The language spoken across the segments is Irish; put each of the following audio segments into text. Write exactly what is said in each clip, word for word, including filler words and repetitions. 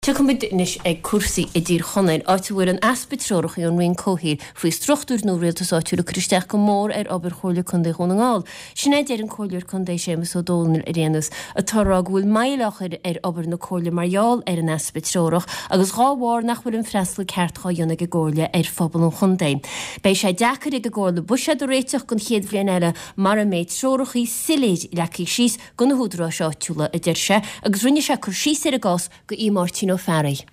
Tiocfaimid anois ag cúrsaí i dTír Chonaill, áit a bhfuil an easpa treorach ón Roinn Comhshaoil faoi struchtúir nua rialtais áitiúil ag cur isteach go mór ar obair Chomhairle Contae Dhún na nGall. Sin é a deir an Comhairleoir Contae Séamus Ó Domhnaill ar aon nós, atá ag rá go bhfuil moill á chur ar obair na Comhairle mar gheall ar an easpa treorach agus dhá bharr nach bhfuil an freastal ceart dhá dhéanamh ag an gComhairle ar phobal an chontae. Beidh sé deacair ag an gComhairle buiséad a réiteach don chéad bhliain eile mara mbeidh treorachaí soiléir leagtha síos do na húdaráis áitiúla, a deir sé, agus rinne sé cur síos ar an gcás go Aodh Máirtín Ó Fearraigh.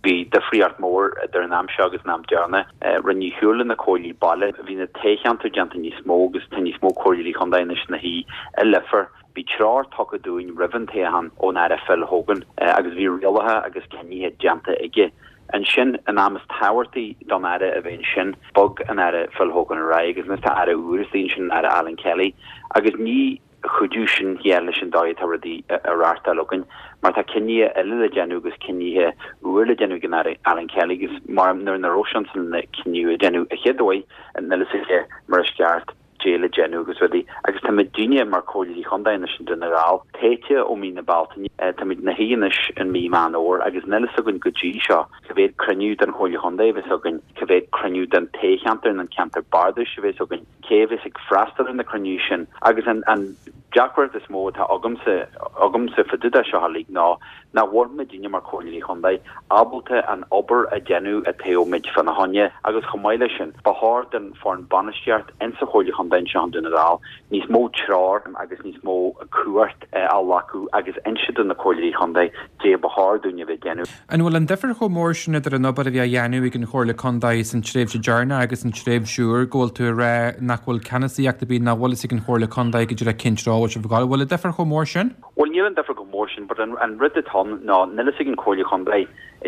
Bhí difríocht mór idir an am seo agus an am deireanach. Rinneadh siúl na comhairlí baile, bhí na toghcheantair déanta níos mó agus tá níos mó comhairleoirí contae anois ina shuí i Leifear. Bhí treoir tugtha dúinn roimh an toghchán ón Aire Phil Hogan agus bhí rialacha agus cinnithe déanta aige. Ansin, an am is tábhachtaí don Aire a bheith ansin, bhog an Aire Phil Hogan ar aghaidh agus anois tá Aire úr istigh ansin, an Aire Alan Kelly, agus ní chuideodh sin thiar leis an dóigh atá rudaí á reáchtáil againn mar tá cinnithe eile le déanamh agus cinnithe úr le déanamh ag an Aire Alan Kelly agus mar nuair nach raibh sé ansin na cinneadh a déanamh a chéad uair níl a fhios aige mar is ceart dé le déanamh agus rudaí agus tá muidinne mar Chomhairleoirí Chontae anois i nDún na nGall tofa ó mí na Bealtaine táimid ina shuí anois in mí Meán Fhómhair agus níl a fhios againn go dtí seo cá mhéad cruinniú den Chomhairle Chontae a bheas againn cá mhéad cruinniú den toghcheantar nó an ceantar bardais a bheas againn cé a bheas ag freastal ar na cruinnithe sin agus an an deacracht is mó atá agamsa agamsa fá dtaobh de seo uilig ná nach bhfuil muidinne mar Chomhairleoirí Chontae ábalta an obair a dhéanamh atá muid fána choinne agus chomh maith leis sin ba chóir don foireann bainistíocht insa Chomhairle Chontae anseo i nDún na nGall níos mó treoir agus níos mó cumhacht a ghlacadh agus inse do na Comhairleoirí Chontae dé ba chóir dúinn a bheith déanamh. An bhfuil an difear chomh mór sin idir an obair a bhí á dhéanamh ag an Chomhairle Contae san tréimhse deireanach agus an tréimhse úr go bhfuil tú ag rá nach bhfuil ceannasaíocht ar bith nach bhfuil fhios ag an Chomhairle Contae go díreach cén treo a bhfuil sibh ag gabháil. Bhfuil an difear chomh mór sin? Bhuel níl an difear chomh mór sin, but an, an rud atá ann ná níl fhios ag an Chomhairle Chontae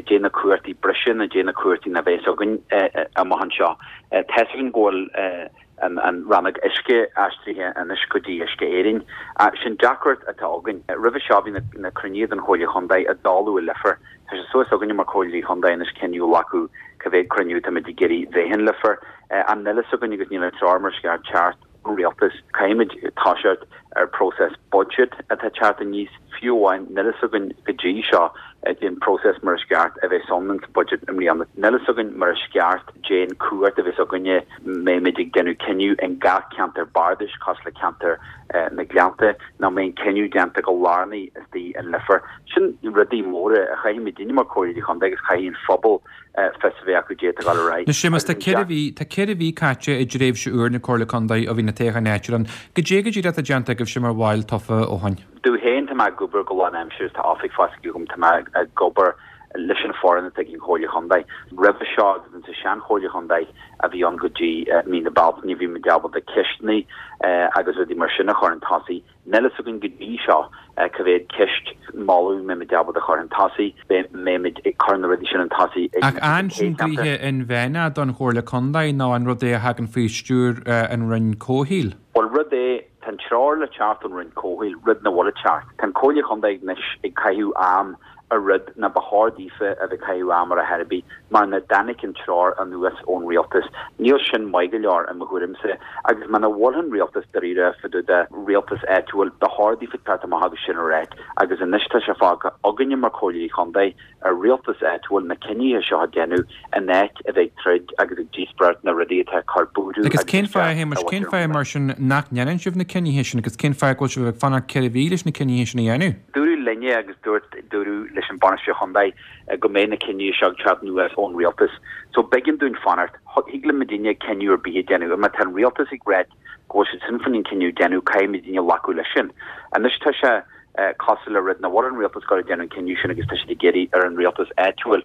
dé na cumhachtaí breise nó dé na cumhachtaí na bheas againn amach anseo. Tá fhios againn go bhfuil an, an rannóg uisce aistrithe anois go dtí Uisce Éireann. Sin deacracht atá againn. Roimhe seo bhí na, na cruinnithe den Chomhairle Chontae ag tarlú i Leifear. Tá sé suas againne mar Chomhairleoirí Chontae anois cinneadh a ghlacadh cá mhéad cruinniú táimid ag iarraidh bheith in Leifear. An níl fhios againn agus níl an treoir mar is ceart teacht ón rialtas. Caithfimid toiseacht ar process budget atá teacht aníos fiú amháin níl fhios againn go dtí seo den process mar is ceart a bheith ann sa budget i mbliana. Níl fhios againn mar is ceart dén cumhacht a bheas againne mbeimid ag déanamh cinneadh in gach ceantar bardais cosúil le ceantar na Gleannta nó mbeidh cinneadh déanta go lárnach istigh in Leifear. Sin rudaí móra a chaithfimid déanamh mar Chomhairleoirí Chontae agus chaithfidh an phobal fios a bheith acu dé atá ag dul ar aghaidh. Anois Séamus tá ceithre mhí tá ceithre mhí caite i dtréimhse úr na Comhairle Contae ó bhí na toghcháin áitiúil ann. Goidé go díreach atá déanta agaibhse mar bhaill tofa ó shin. Domh féin tá mé ag obair go lánaimseartha tá oifig fostaithe agam tá mé ag obair leis an foireann atá ag an Chomhairle Chontae. Roimhe seo agus insa sean-Chomhairle Chontae a bhí ann go dtí mí na Bealtaine bhí muid ábalta ceisteanna agus rudaí mar sin a chur chun tosaigh. Níl fhios againn go dtí seo cá mhéad ceist moladh mbeimid ábalta chur chun tosaigh, beimid ag cur na rudaí sin chun tosaigh ag Ach an sin gnoithe inmheánach don Chomhairle Contae nó an rud é a thagann faoi stiúir an Roinn Comhshaoil? Bhuel rud é tá an treoir le teacht ón Roinn Comhshaoil, rud nach bhfuil ag teacht. Tá an Comhairle Chontae anois ag caitheamh am ar rud nach ba chóir daofa a bheith caitheamh am ar a chor ar bith mar nach dtáinig an treoir anuas ón rialtas. Níl sin maith go leor i mo thuairimse agus muna bhfuil an rialtas dáiríre fá dtaobh de rialtas áitiúil ba chóir daofa teacht amach agus sin a ráit agus anois tá sé fágtha againne mar Chomhairleoirí Chontae ar rialtas áitiúil na cinnithe seo a déanamh in áit a bheith ag troid agus ag díospóireacht na rudaí atá ag cur buartha Agus cén fáth a Shéamais, cén fáth mar sin nach ndéanann sibh na cinnithe sin agus cén fáth go bhfuil sibh ag fanacht ceithre mhí leis na cinnithe sin a dhéanamh? Dúradh linne agus dúirt dúradh leis an bhainisteoir chontae go mbeidh na cinnithe seo ag teacht anuas ón rialtas. So b'éigean dúinn fanacht, thig le muidinne cinneadh ar bith a déanamh, má tá an rialtas ag ráit go bhfuil siad sin faoin cinneadh déanamh caithfidh muidinne glacadh leis sin. Anois tá sé cosúil le rud nach bhfuil an rialtas ag déanamh an cinneadh sin agus tá siad ag iarraidh ar an rialtas áitiúil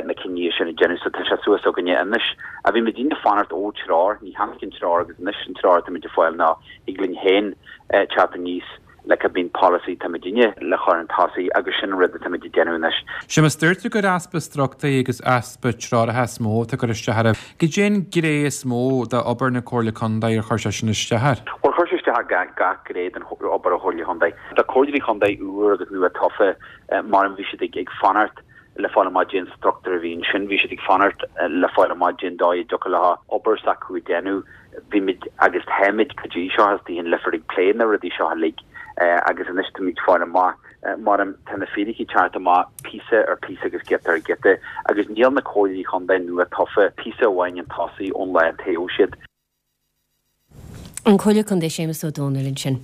na cinnithe sin a déanamh so tá sé suas againne anois. A bhí muidinne fanacht ó treoir, ní tháinig an treoir agus anois an treoir tá muid ag fáil ná thig linn féin teacht aníos le cibé policy tá muidinne le chur chun tosaigh agus sin an rud atá muid ag déanamh anois. Séamus dúirt tú gur easpa struchtúir agus easpa treoracha is mó atá ag cur isteach oraibh. Goidé an ghné is mó d'obair na Comhairle Contae ar chuir sé sin isteach air. Bhuel chuir sé isteach ar gach gach gné den obair a Chomhairle Chontae. Tá comhairleoirí chontae úr agus nua tofa mar bhí siad ag ag fanacht le fáil amach dén struchtúr a bhí ansin, bhí siad ag fanacht le fáil amach dén dóigh a dtiocfadh leo obair s'acu a déanamh. Bhí muid agus táimid go dtí seo istigh in Leifear ag plé na rudaí seo uilig Agus anois táimid ag fáil amach mar tá na fíricí ag teacht amach píosa ar phíosa agus giota ar ghiota agus níl na comhairleoirí contae nua tofa píosa amháin chun tosaigh ón lá a toghadh siad. An Comhairleoir Contae Séamus Ó Dónaill ansin.